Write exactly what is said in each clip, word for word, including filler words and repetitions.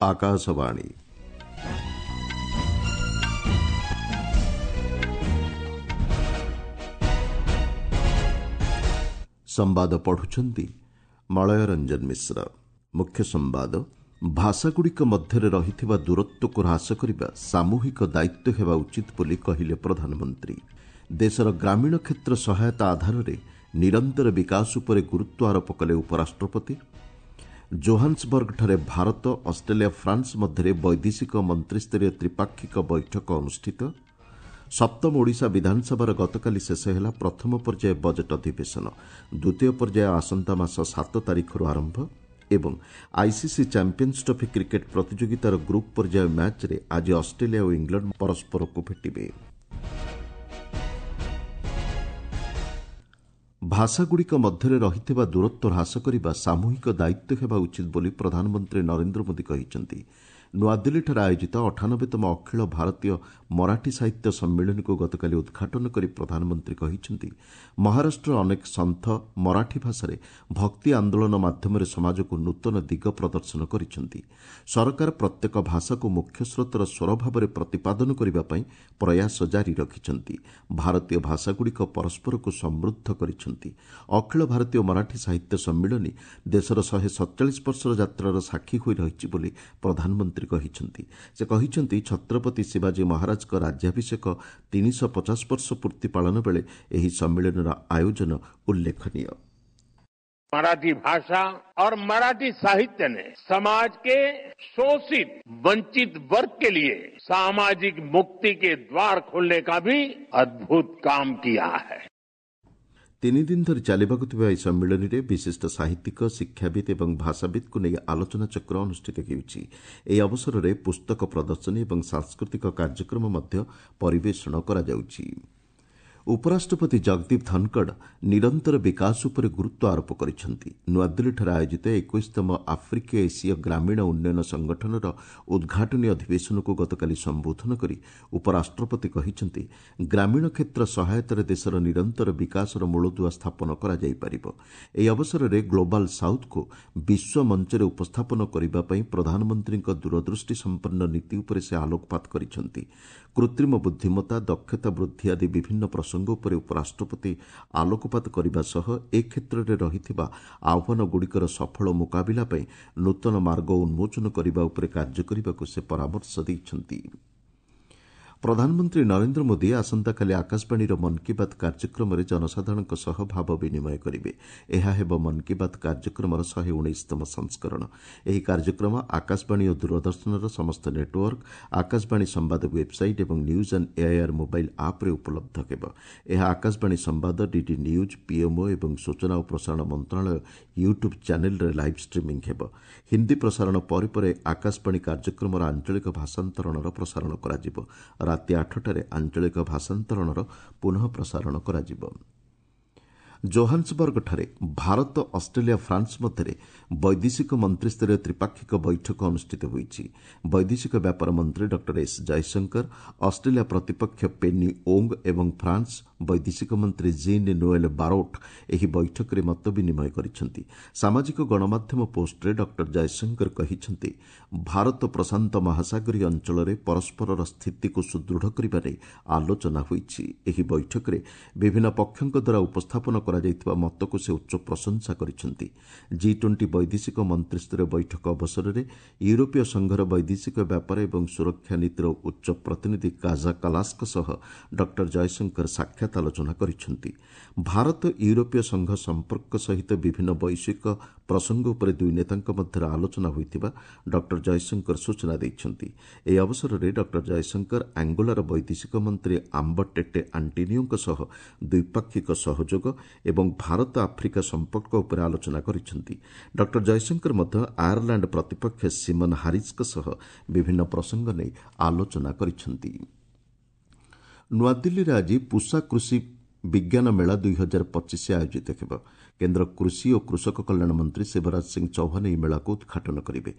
ଆକାଶବାଣୀ। ସମ୍ବାଦ ପଢୁଛନ୍ତି ମଳୟ ରଞ୍ଜନ ମିଶ୍ର। ମୁଖ୍ୟ ସମ୍ବାଦ, ଭାଷାଗୁଡ଼ିକ ମଧ୍ୟରେ ରହିଥିବା ଦୂରତ୍ୱକୁ ହ୍ରାସ କରିବା ସାମୂହିକ ଦାୟିତ୍ୱ ହେବା ଉଚିତ ବୋଲି କହିଲେ ପ୍ରଧାନମନ୍ତ୍ରୀ। ଦେଶର ଗ୍ରାମୀଣ କ୍ଷେତ୍ର ସହାୟତା ଆଧାରରେ ନିରନ୍ତର ବିକାଶ ଉପରେ ଗୁରୁତ୍ୱ ଆରୋପ କଲେ ଉପରାଷ୍ଟ୍ରପତି। ଜୋହାନ୍ସବର୍ଗଠାରେ ଭାରତ, ଅଷ୍ଟ୍ରେଲିଆ, ଫ୍ରାନ୍ସ ମଧ୍ୟରେ ବୈଦେଶିକ ମନ୍ତ୍ରିସ୍ତରୀୟ ତ୍ରିପାକ୍ଷିକ ବୈଠକ ଅନୁଷ୍ଠିତ। ସପ୍ତମ ଓଡ଼ିଶା ବିଧାନସଭାର ଗତକାଲି ଶେଷ ହେଲା ପ୍ରଥମ ପର୍ଯ୍ୟାୟ ବଜେଟ୍ ଅଧିବେଶନ। ଦ୍ୱିତୀୟ ପର୍ଯ୍ୟାୟ ଆସନ୍ତା ମାସ ସାତ ତାରିଖରୁ ଆରମ୍ଭ। ଏବଂ ଆଇସିସି ଚାମ୍ପିୟନ୍ସ ଟ୍ରଫି କ୍ରିକେଟ୍ ପ୍ରତିଯୋଗିତାର ଗ୍ରୁପ୍ ପର୍ଯ୍ୟାୟ ମ୍ୟାଚ୍ରେ ଆଜି ଅଷ୍ଟ୍ରେଲିଆ ଓ ଇଂଲଣ୍ଡ ପରସ୍ପରକୁ ଭେଟିବେ। ଭାଷାଗୁଡ଼ିକ ମଧ୍ୟରେ ରହିଥିବା ଦୂରତ୍ୱ ହ୍ରାସ କରିବା ସାମୂହିକ ଦାୟିତ୍ୱ ହେବା ଉଚିତ ବୋଲି ପ୍ରଧାନମନ୍ତ୍ରୀ ନରେନ୍ଦ୍ର ମୋଦି କହିଛନ୍ତି। ନୂଆଦିଲ୍ଲୀଠାରେ ଆୟୋଜିତ ଅଠାନବେତମ ଅଖିଳ ଭାରତୀୟ ମରାଠୀ ସାହିତ୍ୟ ସମ୍ମିଳନୀକୁ ଗତକାଲି ଉଦ୍ଘାଟନ କରି ପ୍ରଧାନମନ୍ତ୍ରୀ କହିଛନ୍ତି, ମହାରାଷ୍ଟ୍ରର ଅନେକ ସନ୍ଥ ମରାଠୀ ଭାଷାରେ ଭକ୍ତି ଆନ୍ଦୋଳନ ମାଧ୍ୟମରେ ସମାଜକୁ ନୂତନ ଦିଗ ପ୍ରଦର୍ଶନ କରିଛନ୍ତି। ସରକାର ପ୍ରତ୍ୟେକ ଭାଷାକୁ ମୁଖ୍ୟସ୍ରୋତର ସ୍ୱର ଭାବରେ ପ୍ରତିପାଦନ କରିବା ପାଇଁ ପ୍ରୟାସ ଜାରି ରଖିଛନ୍ତି। ଭାରତୀୟ ଭାଷାଗୁଡ଼ିକ ପରସ୍ପରକୁ ସମୃଦ୍ଧ କରିଛନ୍ତି। ଅଖିଳ ଭାରତୀୟ ମରାଠୀ ସାହିତ୍ୟ ସମ୍ମିଳନୀ ଦେଶର ଶହେ ସତଚାଳିଶ ବର୍ଷର ଯାତ୍ରାର ସାକ୍ଷୀ ହୋଇ ରହିଛି ବୋଲି ପ୍ରଧାନମନ୍ତ୍ରୀ କହିଛନ୍ତି। ସେ କହିଛନ୍ତି, ଛତ୍ରପତି ଶିବାଜୀ ମହାରାଜଙ୍କ ରାଜ୍ୟାଭିଷେକ ତିନିଶହ ପଚାଶ ବର୍ଷ ପୂର୍ତ୍ତି ପାଳନ ବେଳେ ଏହି ସମ୍ମିଳନୀର ଆୟୋଜନ ଉଲ୍ଲେଖନୀୟ। मराठी भाषा और मराठी साहित्य ने समाज के शोषित वंचित वर्ग के लिए सामाजिक मुक्ति के द्वार खोलने का भी अद्भुत काम किया है। ତିନି ଦିନ ଧରି ଚାଲିବାକୁ ଥିବା ଏହି ସମ୍ମିଳନୀରେ ବିଶିଷ୍ଟ ସାହିତ୍ୟିକ, ଶିକ୍ଷାବିତ୍ ଏବଂ ଭାଷାବିତ୍କୁ ନେଇ ଆଲୋଚନାଚକ୍ର ଅନୁଷ୍ଠିତ ହେଉଛି। ଏହି ଅବସରରେ ପୁସ୍ତକ ପ୍ରଦର୍ଶନୀ ଏବଂ ସାଂସ୍କୃତିକ କାର୍ଯ୍ୟକ୍ରମ ମଧ୍ୟ ପରିବେଷଣ କରାଯାଉଛି। ଉପରାଷ୍ଟ୍ରପତି ଜଗଦୀପ ଧନଖଡ଼ ନିରନ୍ତର ବିକାଶ ଉପରେ ଗୁରୁତ୍ୱ ଆରୋପ କରିଛନ୍ତି। ନୂଆଦିଲ୍ଲୀଠାରେ ଆୟୋଜିତ ଏକୋଇଶତମ ଆଫ୍ରିକୀୟ ଏସୀୟ ଗ୍ରାମୀଣ ଉନ୍ନୟନ ସଂଗଠନର ଉଦ୍ଘାଟନୀ ଅଧିବେଶନକୁ ଗତକାଲି ସମ୍ବୋଧନ କରି ଉପରାଷ୍ଟ୍ରପତି କହିଛନ୍ତି, ଗ୍ରାମୀଣ କ୍ଷେତ୍ର ସହାୟତାରେ ଦେଶର ନିରନ୍ତର ବିକାଶର ମୂଳଦୁଆ ସ୍ଥାପନ କରାଯାଇପାରିବ। ଏହି ଅବସରରେ ଗ୍ଲୋବାଲ ସାଉଥ୍କୁ ବିଶ୍ୱ ମଞ୍ଚରେ ଉପସ୍ଥାପନ କରିବା ପାଇଁ ପ୍ରଧାନମନ୍ତ୍ରୀଙ୍କ ଦୂରଦୃଷ୍ଟି ସମ୍ପନ୍ନ ନୀତି ଉପରେ ସେ ଆଲୋକପାତ କରିଛନ୍ତି। କୃତ୍ରିମ ବୁଦ୍ଧିମତ୍ତା, ଦକ୍ଷତା ବୃଦ୍ଧି ଆଦି ବିଭିନ୍ନ ପ୍ରସଙ୍ଗ ଉପରେ ଉପରାଷ୍ଟ୍ରପତି ଆଲୋକପାତ କରିବା ସହ ଏ କ୍ଷେତ୍ରରେ ରହିଥିବା ଆହ୍ୱାନଗୁଡ଼ିକର ସଫଳ ମୁକାବିଲା ପାଇଁ ନୂତନ ମାର୍ଗ ଉନ୍ମୋଚନ କରିବା ଉପରେ କାର୍ଯ୍ୟ କରିବାକୁ ସେ ପରାମର୍ଶ ଦେଇଛନ୍ତି। ପ୍ରଧାନମନ୍ତ୍ରୀ ନରେନ୍ଦ୍ର ମୋଦି ଆସନ୍ତାକାଲି ଆକାଶବାଣୀର ମନ୍ କି ବାତ୍ କାର୍ଯ୍ୟକ୍ରମରେ ଜନସାଧାରଣଙ୍କ ସହ ଭାବ ବିନିମୟ କରିବେ। ଏହା ହେବ ମନ୍ କି ବାତ୍ କାର୍ଯ୍ୟକ୍ରମର ଶହେ ଉଣେଇଶତମ ସଂସ୍କରଣ। ଏହି କାର୍ଯ୍ୟକ୍ରମ ଆକାଶବାଣୀ ଓ ଦୂରଦର୍ଶନର ସମସ୍ତ ନେଟୱାର୍କ, ଆକାଶବାଣୀ ସମ୍ବାଦ ୱେବ୍ସାଇଟ୍ ଏବଂ ନ୍ୟୁଜ୍ ଅନ୍ ଏଆଇଆର୍ ମୋବାଇଲ୍ ଆପ୍ରେ ଉପଲବ୍ଧ ହେବ। ଏହା ଆକାଶବାଣୀ ସମ୍ବାଦ, ଡିଡି ନ୍ୟୁଜ୍, ପିଏମ୍ଓ ଏବଂ ସୂଚନା ଓ ପ୍ରସାରଣ ମନ୍ତ୍ରଣାଳୟ ୟୁଟ୍ୟୁବ୍ ଚ୍ୟାନେଲ୍ରେ ଲାଇଭ୍ ଷ୍ଟ୍ରିମିଂ ହେବ। ହିନ୍ଦୀ ପ୍ରସାରଣ ପରେ ପରେ ଆକାଶବାଣୀ କାର୍ଯ୍ୟକ୍ରମର ଆଞ୍ଚଳିକ ଭାଷାନ୍ତରଣର ପ୍ରସାରଣ କରାଯିବ। ରାତି ଆଠଟାରେ ଆଞ୍ଚଳିକ ଭାଷାନ୍ତରଣର ପୁନଃ ପ୍ରସାରଣ କରାଯିବ। ଜୋହାନ୍ସବର୍ଗଠାରେ ଭାରତ, ଅଷ୍ଟ୍ରେଲିଆ, ଫ୍ରାନ୍ସ ମଧ୍ୟରେ ବୈଦେଶିକ ମନ୍ତ୍ରିସ୍ତରୀୟ ତ୍ରିପାକ୍ଷିକ ବୈଠକ ଅନୁଷ୍ଠିତ ହୋଇଛି। ବୈଦେଶିକ ବ୍ୟାପାର ମନ୍ତ୍ରୀ ଡକ୍ଟର ଏସ୍ ଜୟଶଙ୍କର, ଅଷ୍ଟ୍ରେଲିଆ ପ୍ରତିପକ୍ଷ ପେନି ଓଙ୍ଗ ଏବଂ ଫ୍ରାନ୍ସ ବୈଦେଶିକ ମନ୍ତ୍ରୀ ଜିନ୍ ନୋଏଲ୍ ବାରୋଟ୍ ଏହି ବୈଠକରେ ମତ ବିନିମୟ କରିଛନ୍ତି। ସାମାଜିକ ଗଣମାଧ୍ୟମ ପୋଷ୍ଟରେ ଡକ୍ଟର ଜୟଶଙ୍କର କହିଛନ୍ତି, ଭାରତ ପ୍ରଶାନ୍ତ ମହାସାଗରୀୟ ଅଞ୍ଚଳରେ ପରସ୍ପରର ସ୍ଥିତିକୁ ସୁଦୃଢ଼ କରିବା ନେଇ ଆଲୋଚନା ହୋଇଛି। ଏହି ବୈଠକରେ ବିଭିନ୍ନ ପକ୍ଷଙ୍କ ଦ୍ୱାରା ଉପସ୍ଥାପନ କରାଯାଇଥିବା ମତକୁ ସେ ଉଚ୍ଚ ପ୍ରଶଂସା କରିଛନ୍ତି। ଜି ଟ୍ୱେଣ୍ଟି ବୈଦେଶିକ ମନ୍ତ୍ରିସ୍ତରୀୟ ବୈଠକ ଅବସରରେ ୟୁରୋପୀୟ ସଂଘର ବୈଦେଶିକ ବ୍ୟାପାର ଏବଂ ସୁରକ୍ଷା ନୀତିର ଉଚ୍ଚ ପ୍ରତିନିଧି କାଜା କାଲାସଙ୍କ ସହ ଡକ୍ଟର ଜୟଶଙ୍କର ସାକ୍ଷାତ ଆଲୋଚନା କରିଛନ୍ତି। ଭାରତ ୟୁରୋପୀୟ ସଂଘ ସମ୍ପର୍କ ସହିତ ବିଭିନ୍ନ ବୈଶ୍ୱିକ ପ୍ରସଙ୍ଗ ଉପରେ ଦୁଇ ନେତାଙ୍କ ମଧ୍ୟରେ ଆଲୋଚନା ହୋଇଥିବା ଡକ୍ଟର ଜୟଶଙ୍କର ସୂଚନା ଦେଇଛନ୍ତି। ଏହି ଅବସରରେ ଡକ୍ଟର ଜୟଶଙ୍କର ଆଙ୍ଗୋଲାର ବୈଦେଶିକ ମନ୍ତ୍ରୀ ଆମ୍ବ ଟେଟେ ଆଣ୍ଟିନିଓଙ୍କ ସହ ଦ୍ୱିପାକ୍ଷିକ ସହଯୋଗ ଏବଂ ଭାରତ ଆଫ୍ରିକା ସମ୍ପର୍କ ଉପରେ ଆଲୋଚନା କରିଛନ୍ତି। ଡକ୍ଟର ଜୟଶଙ୍କର ମଧ୍ୟ ଆୟାରଲାଣ୍ଡ ପ୍ରତିପକ୍ଷ ସିମନ୍ ହାରିସ୍ଙ୍କ ସହ ବିଭିନ୍ନ ପ୍ରସଙ୍ଗ ନେଇ ଆଲୋଚନା କରିଛନ୍ତି। ନୂଆଦିଲ୍ଲୀରେ ଆଜି ପୁସା କୃଷି ବିଜ୍ଞାନ ମେଳା ଦୁଇ ହଜାର ପଚିଶ ଆୟୋଜିତ ହେବ। କେନ୍ଦ୍ର କୃଷି ଓ କୃଷକ କଲ୍ୟାଣ ମନ୍ତ୍ରୀ ଶିବରାଜ ସିଂ ଚୌହାନ ଏହି ମେଳାକୁ ଉଦ୍ଘାଟନ କରିବେ।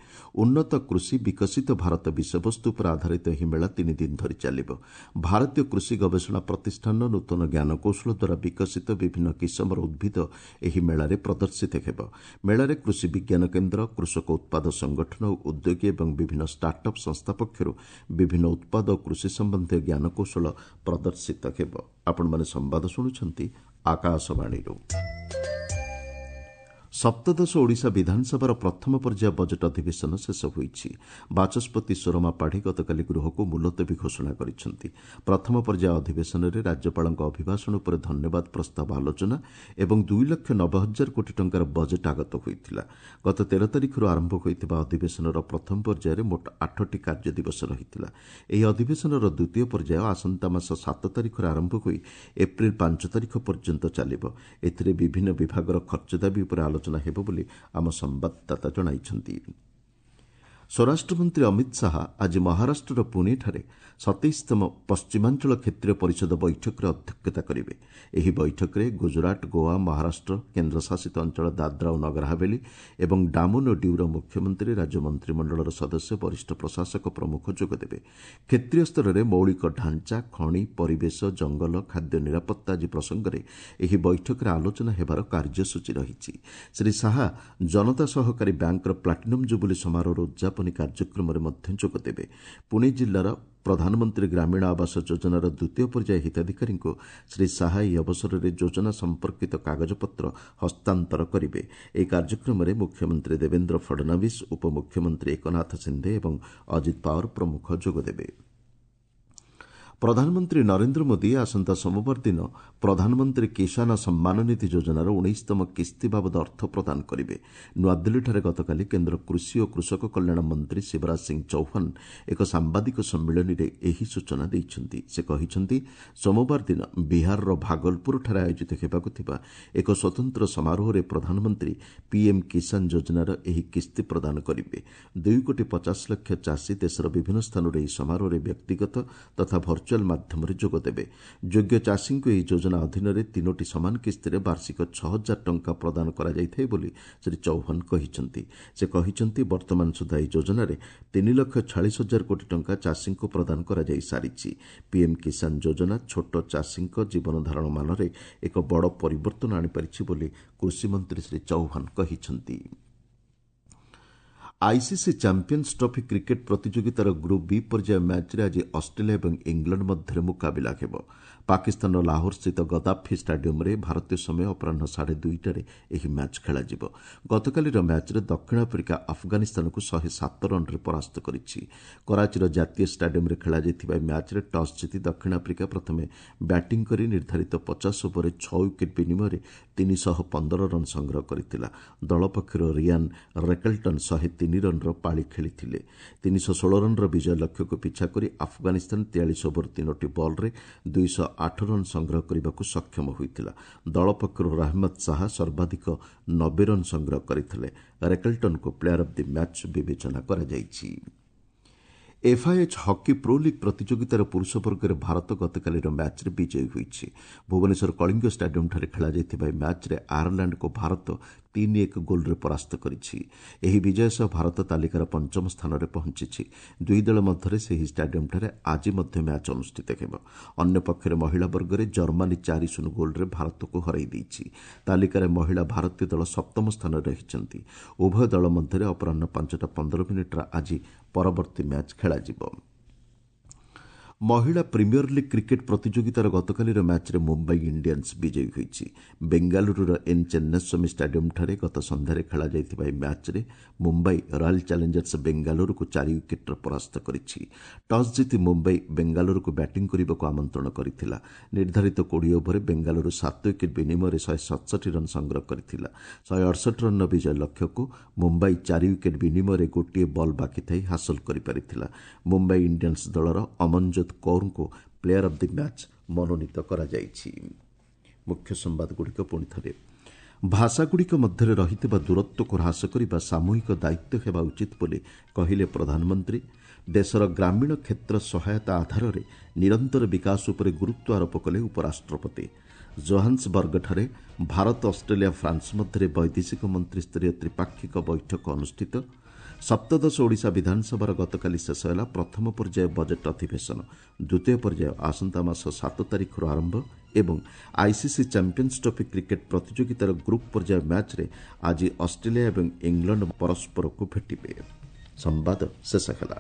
ଉନ୍ନତ କୃଷି ବିକଶିତ ଭାରତ ବିଷୟବସ୍ତୁ ଉପରେ ଆଧାରିତ ଏହି ମେଳା ତିନି ଦିନ ଧରି ଚାଲିବ। ଭାରତୀୟ କୃଷି ଗବେଷଣା ପ୍ରତିଷ୍ଠାନର ନୂତନ ଜ୍ଞାନକୌଶଳ ଦ୍ୱାରା ବିକଶିତ ବିଭିନ୍ନ କିସମର ଉଦ୍ଭିଦ ଏହି ମେଳାରେ ପ୍ରଦର୍ଶିତ ହେବ। ମେଳାରେ କୃଷି ବିଜ୍ଞାନ କେନ୍ଦ୍ର, କୃଷକ ଉତ୍ପାଦ ସଂଗଠନ, ଉଦ୍ୟୋଗୀ ଏବଂ ବିଭିନ୍ନ ଷ୍ଟାର୍ଟ ଅପ୍ ସଂସ୍ଥା ପକ୍ଷରୁ ବିଭିନ୍ନ ଉତ୍ପାଦ ଓ କୃଷି ସମ୍ବନ୍ଧୀୟ ଜ୍ଞାନକୌଶଳ ପ୍ରଦର୍ଶିତ ହେବ। ଆପଣମାନେ ସମ୍ବାଦ ଶୁଣୁଛନ୍ତି ଆକାଶବାଣୀରୁ। ସପ୍ତଦଶ ଓଡ଼ିଶା ବିଧାନସଭାର ପ୍ରଥମ ପର୍ଯ୍ୟାୟ ବଜେଟ୍ ଅଧିବେଶନ ଶେଷ ହୋଇଛି। ବାଚସ୍ପତି ସୁରମା ପାଢ଼ୀ ଗତକାଲି ଗୃହକୁ ମୁଲତବୀ ଘୋଷଣା କରିଛନ୍ତି। ପ୍ରଥମ ପର୍ଯ୍ୟାୟ ଅଧିବେଶନରେ ରାଜ୍ୟପାଳଙ୍କ ଅଭିଭାଷଣ ଉପରେ ଧନ୍ୟବାଦ ପ୍ରସ୍ତାବ ଆଲୋଚନା ଏବଂ ଦୁଇ ଲକ୍ଷ ନବେ ହଜାର କୋଟି ଟଙ୍କାର ବଜେଟ୍ ଆଗତ ହୋଇଥିଲା। ଗତ ତେର ତାରିଖରୁ ଆରମ୍ଭ ହୋଇଥିବା ଅଧିବେଶନର ପ୍ରଥମ ପର୍ଯ୍ୟାୟରେ ମୋଟ ଆଠଟି କାର୍ଯ୍ୟ ଦିବସ ରହିଥିଲା। ଏହି ଅଧିବେଶନର ଦ୍ୱିତୀୟ ପର୍ଯ୍ୟାୟ ଆସନ୍ତା ମାସ ସାତ ତାରିଖରେ ଆରମ୍ଭ ହୋଇ ଏପ୍ରିଲ ପାଞ୍ଚ ତାରିଖ ପର୍ଯ୍ୟନ୍ତ ଚାଲିବ। ଏଥିରେ ବିଭିନ୍ନ ବିଭାଗର ଖର୍ଚ୍ଚ ଦାବି ଉପରେ ଆଲୋଚନା ହେବ ବୋଲି ଆମ ସମ୍ବାଦଦାତା ଜଣାଇଛନ୍ତି। ସ୍ୱରାଷ୍ଟ୍ରମନ୍ତ୍ରୀ ଅମିତ ଶାହା ଆଜି ମହାରାଷ୍ଟ୍ରର ପୁଣେଠାରେ ସତେଇଶତମ ପଶ୍ଚିମାଞ୍ଚଳ କ୍ଷେତ୍ରୀୟ ପରିଷଦ ବୈଠକରେ ଅଧ୍ୟକ୍ଷତା କରିବେ। ଏହି ବୈଠକରେ ଗୁଜରାଟ, ଗୋଆ, ମହାରାଷ୍ଟ୍ର, କେନ୍ଦ୍ରଶାସିତ ଅଞ୍ଚଳ ଦାଦ୍ରା ଓ ନଗର ହାବେଳି ଏବଂ ଡାମନ ଓ ଡ୍ୟୁର ମୁଖ୍ୟମନ୍ତ୍ରୀ, ରାଜ୍ୟ ମନ୍ତ୍ରିମଣ୍ଡଳର ସଦସ୍ୟ, ବରିଷ୍ଠ ପ୍ରଶାସକ ପ୍ରମୁଖ ଯୋଗଦେବେ। କ୍ଷେତ୍ରୀୟ ସ୍ତରରେ ମୌଳିକ ଢାଞ୍ଚା, ଖଣି, ପରିବେଶ, ଜଙ୍ଗଲ, ଖାଦ୍ୟ ନିରାପତ୍ତା ଆଦି ପ୍ରସଙ୍ଗରେ ଏହି ବୈଠକରେ ଆଲୋଚନା ହେବାର କାର୍ଯ୍ୟସୂଚୀ ରହିଛି। ଶ୍ରୀ ଶାହା ଜନତା ସହକାରୀ ବ୍ୟାଙ୍କର ପ୍ଲାଟିନମ୍ ଜୁବୁଲି ସମାରୋହର ଉଦ୍ଯାପନୀ କାର୍ଯ୍ୟକ୍ରମରେ ମଧ୍ୟ ଯୋଗଦେବେ। ପୁଣେ ଜିଲ୍ଲାର ପ୍ରଧାନମନ୍ତ୍ରୀ ଗ୍ରାମୀଣ ଆବାସ ଯୋଜନାର ଦ୍ୱିତୀୟ ପର୍ଯ୍ୟାୟ ହିତାଧିକାରୀଙ୍କୁ ଶ୍ରୀ ଶାହା ଏହି ଅବସରରେ ଯୋଜନା ସମ୍ପର୍କିତ କାଗଜପତ୍ର ହସ୍ତାନ୍ତର କରିବେ। ଏହି କାର୍ଯ୍ୟକ୍ରମରେ ମୁଖ୍ୟମନ୍ତ୍ରୀ ଦେବେନ୍ଦ୍ର ଫଡନାଭିସ୍, ଉପମୁଖ୍ୟମନ୍ତ୍ରୀ ଏକନାଥ ସିନ୍ଧେ ଏବଂ ଅଜିତ ପାୱାର ପ୍ରମୁଖ ଯୋଗଦେବେ। ପ୍ରଧାନମନ୍ତ୍ରୀ ନରେନ୍ଦ୍ର ମୋଦି ଆସନ୍ତା ସୋମବାର ଦିନ ପ୍ରଧାନମନ୍ତ୍ରୀ କିଷାନ ସମ୍ମାନ ନିଧି ଯୋଜନାର ଉଣେଇଶତମ କିସ୍ତି ବାବଦ ଅର୍ଥ ପ୍ରଦାନ କରିବେ। ନୂଆଦିଲ୍ଲୀଠାରେ ଗତକାଲି କେନ୍ଦ୍ର କୃଷି ଓ କୃଷକ କଲ୍ୟାଣ ମନ୍ତ୍ରୀ ଶିବରାଜ ସିଂ ଚୌହାନ ଏକ ସାମ୍ବାଦିକ ସମ୍ମିଳନୀରେ ଏହି ସୂଚନା ଦେଇଛନ୍ତି। ସେ କହିଛନ୍ତି, ସୋମବାର ଦିନ ବିହାରର ଭାଗଲପୁରଠାରେ ଆୟୋଜିତ ହେବାକୁ ଥିବା ଏକ ସ୍ୱତନ୍ତ୍ର ସମାରୋହରେ ପ୍ରଧାନମନ୍ତ୍ରୀ ପିଏମ୍ କିଷାନ ଯୋଜନାର ଏହି କିସ୍ତି ପ୍ରଦାନ କରିବେ। ଦୁଇ କୋଟି ପଚାଶ ଲକ୍ଷ ଚାଷୀ ଦେଶର ବିଭିନ୍ନ ସ୍ଥାନରୁ ଏହି ସମାରୋହରେ ବ୍ୟକ୍ତିଗତ ତଥା ଭର୍ଚୁଆଲ ମାଧ୍ୟମରେ ଯୋଗଦେବେ। ଯୋଗ୍ୟ ଚାଷୀଙ୍କୁ ଏହି ଯୋଜନା ଅଧୀନରେ ତିନୋଟି ସମାନ କିସ୍ତିରେ ବାର୍ଷିକ ଛଅ ହଜାର ଟଙ୍କା ପ୍ରଦାନ କରାଯାଇଥାଏ ବୋଲି ଶ୍ରୀ ଚୌହାନ କହିଛନ୍ତି। ସେ କହିଛନ୍ତି, ବର୍ତ୍ତମାନ ସୁଦ୍ଧା ଏହି ଯୋଜନାରେ ତିନି ଲକ୍ଷ ଛୟାଳିଶ ହଜାର କୋଟି ଟଙ୍କା ଚାଷୀଙ୍କୁ ପ୍ରଦାନ କରାଯାଇ ସାରିଛି। ପିଏମ୍ କିଷାନ ଯୋଜନା ଛୋଟ ଚାଷୀଙ୍କ ଜୀବନଧାରଣ ମାନରେ ଏକ ବଡ଼ ପରିବର୍ତ୍ତନ ଆଣିପାରିଛି ବୋଲି କୃଷିମନ୍ତ୍ରୀ ଶ୍ରୀ ଚୌହାନ କହିଛନ୍ତି। ଆଇସିସି ଚାମ୍ପିୟନ୍ସ ଟ୍ରଫି କ୍ରିକେଟ୍ ପ୍ରତିଯୋଗିତାର ଗ୍ରୁପ୍ ବି ପର୍ଯ୍ୟାୟ ମ୍ୟାଚ୍ରେ ଆଜି ଅଷ୍ଟ୍ରେଲିଆ ଏବଂ ଇଂଲଣ୍ଡ ମଧ୍ୟରେ ମୁକାବିଲା ହେବ। ପାକିସ୍ତାନର ଲାହୋରସ୍ଥିତ ଗଦାଫି ଷ୍ଟାଡିୟମ୍ରେ ଭାରତୀୟ ସମୟ ଅପରାହ୍ନ ସାଢ଼େ ଦୁଇଟାରେ ଏହି ମ୍ୟାଚ୍ ଖେଳାଯିବ। ଗତକାଲିର ମ୍ୟାଚ୍ରେ ଦକ୍ଷିଣ ଆଫ୍ରିକା ଆଫଗାନିସ୍ତାନକୁ ଶହେ ସାତ ରନ୍ରେ ପରାସ୍ତ କରିଛି। କରାଚିର ଜାତୀୟ ଷ୍ଟାଡିୟମ୍ରେ ଖେଳାଯାଇଥିବା ଏହି ମ୍ୟାଚ୍ରେ ଟସ୍ ଜିତି ଦକ୍ଷିଣ ଆଫ୍ରିକା ପ୍ରଥମେ ବ୍ୟାଟିଂ କରି ନିର୍ଦ୍ଧାରିତ ପଚାଶ ଓଭରରେ ଛଅ ୱିକେଟ୍ ବିନିମୟରେ ତିନିଶହ ପନ୍ଦର ରନ୍ ସଂଗ୍ରହ କରିଥିଲା। ଦଳ ପକ୍ଷରୁ ରିଆନ୍ ରେକେଲ୍ଟନ୍ ଶହେ ତିନି ରନ୍ର ପାଳି ଖେଳିଥିଲେ। ତିନିଶହ ଷୋହଳ ରନ୍ର ବିଜୟ ଲକ୍ଷ୍ୟକୁ ପିଛା କରି ଆଫଗାନିସ୍ତାନ ତେୟାଳିଶ ଓଭର ତିନୋଟି ବଲ୍ରେ ଦୁଇଶହ ଆଠ ରନ୍ ସଂଗ୍ରହ କରିବାକୁ ସକ୍ଷମ ହୋଇଥିଲା। ଦଳ ପକ୍ଷରୁ ରହମତ ଶାହା ସର୍ବାଧିକ ନବେ ରନ୍ ସଂଗ୍ରହ କରିଥିଲେ। ରେକେଲ୍ଟନ୍ଙ୍କୁ ପ୍ଲେୟାର ଅଫ୍ the match ବିବେଚନା କରାଯାଇଛି। ଏଫ୍ଆଇଏଚ୍ ହକି ପ୍ରୋ ଲିଗ୍ ପ୍ରତିଯୋଗିତାର ପୁରୁଷ ବର୍ଗରେ ଭାରତ ଗତକାଲିର ମ୍ୟାଚ୍ରେ ବିଜୟୀ ହୋଇଛି। ଭୁବନେଶ୍ୱର କଳିଙ୍ଗ ଷ୍ଟାଡିୟମ୍ଠାରେ ଖେଳାଯାଇଥିବା ଏହି ମ୍ୟାଚ୍ରେ ଆୟାରଲାଣ୍ଡକୁ ଭାରତ ତିନି ଏକ ଗୋଲ୍ରେ ପରାସ୍ତ କରିଛି। ଏହି ବିଜୟ ସହ ଭାରତ ତାଲିକାର ପଞ୍ଚମ ସ୍ଥାନରେ ପହଞ୍ଚିଛି। ଦୁଇ ଦଳ ମଧ୍ୟରେ ସେହି ଷ୍ଟାଡିୟମ୍ଠାରେ ଆଜି ମଧ୍ୟ ମ୍ୟାଚ୍ ଅନୁଷ୍ଠିତ ହେବ। ଅନ୍ୟପକ୍ଷରେ ମହିଳା ବର୍ଗରେ ଜର୍ମାନୀ ଚାରି ଶୂନ ଗୋଲ୍ରେ ଭାରତକୁ ହରାଇ ଦେଇଛି। ତାଲିକାରେ ମହିଳା ଭାରତୀୟ ଦଳ ସପ୍ତମ ସ୍ଥାନରେ ରହିଛନ୍ତି। ଉଭୟ ଦଳ ମଧ୍ୟରେ ଅପରାହ୍ନ ପାଞ୍ଚଟା ପନ୍ଦର ମିନିଟ୍ରେ ଆଜି ପରବର୍ତ୍ତୀ ମ୍ୟାଚ୍ ଖେଳାଯିବ। ମହିଳା ପ୍ରିମିୟର ଲିଗ୍ କ୍ରିକେଟ୍ ପ୍ରତିଯୋଗିତାର ଗତକାଲିର ମ୍ୟାଚ୍ରେ ମୁମ୍ବାଇ ଇଣ୍ଡିଆନ୍ସ ବିଜୟୀ ହୋଇଛି। ବେଙ୍ଗାଲୁରୁର ଏନ୍ ଚେନ୍ନାସ୍ୱାମୀ ଷ୍ଟାଡିୟମ୍ଠାରେ ଗତ ସନ୍ଧ୍ୟାରେ ଖେଳାଯାଇଥିବା ଏହି ମ୍ୟାଚ୍ରେ ମୁମ୍ବାଇ ରୟାଲ୍ ଚ୍ୟାଲେଞ୍ଜର୍ସ ବେଙ୍ଗାଲୁରୁକୁ ଚାରି ୱିକେଟ୍ରେ ପରାସ୍ତ କରିଛି। ଟସ୍ ଜିତି ମୁମ୍ବାଇ ବେଙ୍ଗାଲୁରୁକୁ ବ୍ୟାଟିଂ କରିବାକୁ ଆମନ୍ତ୍ରଣ କରିଥିଲା। ନିର୍ଦ୍ଧାରିତ କୋଡ଼ିଏ ଓଭରରେ ବେଙ୍ଗାଲୁରୁ ସାତ ୱିକେଟ୍ ବିନିମୟରେ ଶହେ ସତଷଠି ରନ୍ ସଂଗ୍ରହ କରିଥିଲା। ଶହେ ଅଡ଼ଷଠି ରନ୍ର ବିଜୟ ଲକ୍ଷ୍ୟକୁ ମୁମ୍ବାଇ ଚାରି ୱିକେଟ୍ ବିନିମୟରେ ଗୋଟିଏ ବଲ୍ ବାକି ଥାଇ ହାସଲ କରିପାରିଥିଲା। ମୁମ୍ବାଇ ଇଣ୍ଡିଆନ୍ସ ଦଳର ଅମନଜୋତ କୌରଙ୍କୁ ପ୍ଲେୟାର ଅଫ୍ the match ମନୋନୀତ କରାଯାଇଛି। ମୁଖ୍ୟ ସମ୍ବାଦଗୁଡ଼ିକ ପୁଣି ଥରେ। ଭାଷାଗୁଡ଼ିକ ମଧ୍ୟରେ ରହିଥିବା ଦୂରତ୍ୱକୁ ହ୍ରାସ କରିବା ସାମୂହିକ ଦାୟିତ୍ୱ ହେବା ଉଚିତ ବୋଲି କହିଲେ ପ୍ରଧାନମନ୍ତ୍ରୀ। ଦେଶର ଗ୍ରାମୀଣ କ୍ଷେତ୍ର ସହାୟତା ଆଧାରରେ ନିରନ୍ତର ବିକାଶ ଉପରେ ଗୁରୁତ୍ୱ ଆରୋପ କଲେ ଉପରାଷ୍ଟ୍ରପତି। ଜୋହାନ୍ସବର୍ଗଠାରେ ଭାରତ, ଅଷ୍ଟ୍ରେଲିଆ, ଫ୍ରାନ୍ସ ମଧ୍ୟରେ ବୈଦେଶିକ ମନ୍ତ୍ରୀସ୍ତରୀୟ ତ୍ରିପାକ୍ଷିକ ବୈଠକ ଅନୁଷ୍ଠିତ। ସପ୍ତଦଶ ଓଡ଼ିଶା ବିଧାନସଭାର ଗତକାଲି ଶେଷ ହେଲା ପ୍ରଥମ ପର୍ଯ୍ୟାୟ ବଜେଟ୍ ଅଧିବେଶନ। ଦ୍ୱିତୀୟ ପର୍ଯ୍ୟାୟ ଆସନ୍ତା ମାସ ସାତ ତାରିଖରୁ ଆରମ୍ଭ। ଏବଂ ଆଇସିସି ଚାମ୍ପିୟନ୍ସ ଟ୍ରଫି କ୍ରିକେଟ୍ ପ୍ରତିଯୋଗିତାର ଗ୍ରୁପ୍ ପର୍ଯ୍ୟାୟ ମ୍ୟାଚ୍ରେ ଆଜି ଅଷ୍ଟ୍ରେଲିଆ ଏବଂ ଇଂଲଣ୍ଡ ପରସ୍ପରକୁ ଭେଟିବେ। ସମ୍ବାଦ ଶେଷ ହେଲା।